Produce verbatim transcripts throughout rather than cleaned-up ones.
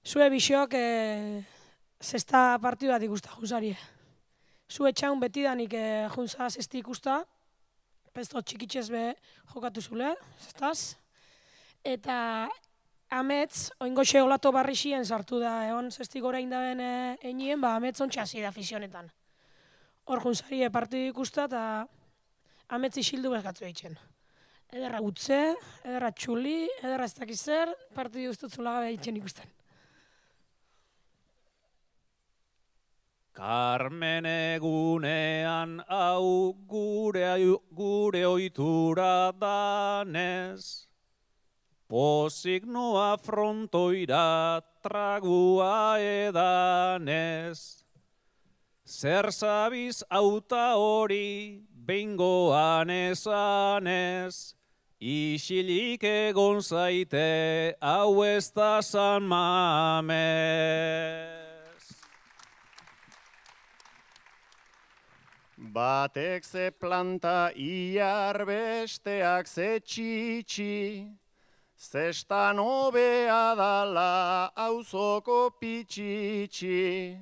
Zue biziok e, zesta partidu bat ikusta junzarie. Zue txaun betidanik e, junza zesti ikusta, pesto txikitxez be jokatu zule, zestaz. Eta amets, oingoxe olato barrixien sartu da, egon zesti gora indaben e, einien, ba amets ontsa hasi da fizionetan. Hor junzarie partidu ikusta eta amets isildu bezkatzu eitzen. Ederra gutze, ederra txuli, ederra ez dakiz zer, partidu ustutzu lagabe eitzen ikusten. Karmen egunean hau gure, gure oitura danez, pozik noa frontoira tragua edanez. Zer zabiz auta hori behingoan esanez, isilik egon zaite hau ez da San Mamez. Batek ze planta iar besteak ze txitsi, zestan hobea dala auzoko pitxitxi.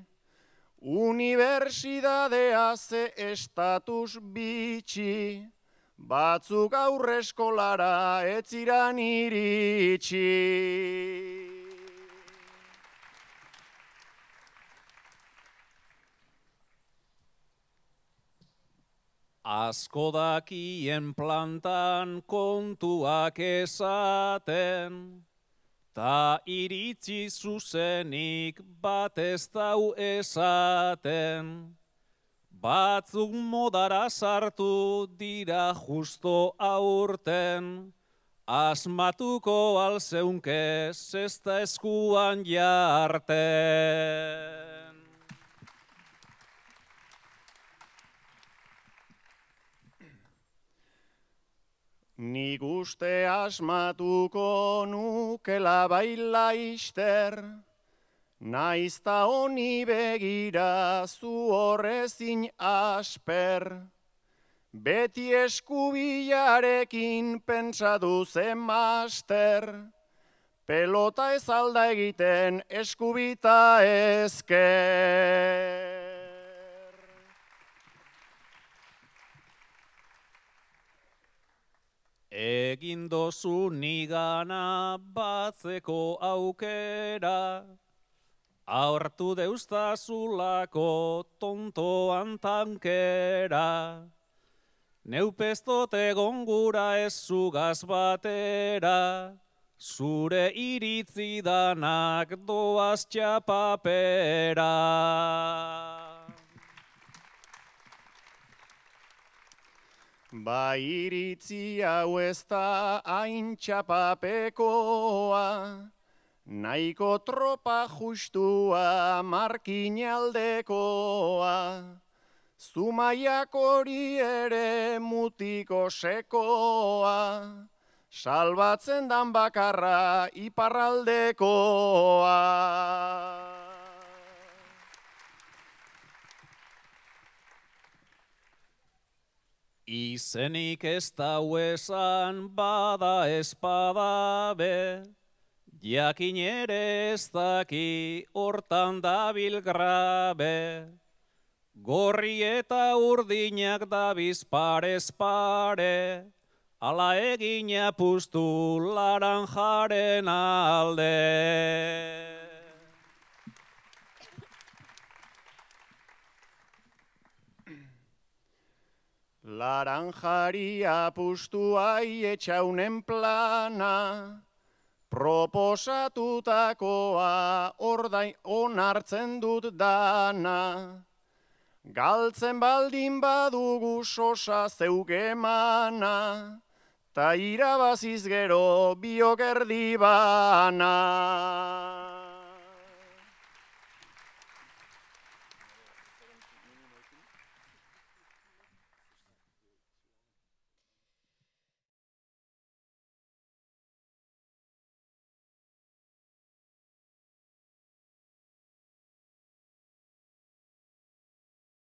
Unibertsidadea ze estatus bitxi, batzuk aurre eskolara ez ziran iritsi. Asko dakien plantan kontuak esaten, ta iritzi zuzenik bat ez dau esaten. Batzuk modara sartu dira justo aurten, asmatuko alzeunke zesta eskuan jarten. Nik uste asmatuko nukela baila ister, naizta honi begira zu horrezin asper. Beti eskubilarekin pentsatu zen master, pelota ez alda egiten eskubita ezker. Egin dozu nigana batzeko aukera, aurtu deustazulako tontoan tankera. Neupestot egon gura ez zugaz batera, zure iritzi danak doaz txapapera. Ba iritzi hau ez da hain txapapekoa, nahiko tropa justua markinaldekoa. Zumaiak hori ere mutiko sekoa, salbatzen dan bakarra iparraldekoa. Izenik ez dau esan bada espada be, jakin ere ez daki hortan dabil grabe. Gorri eta urdinak dabiz parez pare, ala egin apustu laranjaren alde. Laranjari apustu aietxaunen plana, proposatutakoa ordain onartzen dut dana. Galtzen baldin badugu sosa zeuk emana, ta irabaziz gero biok erdi bana.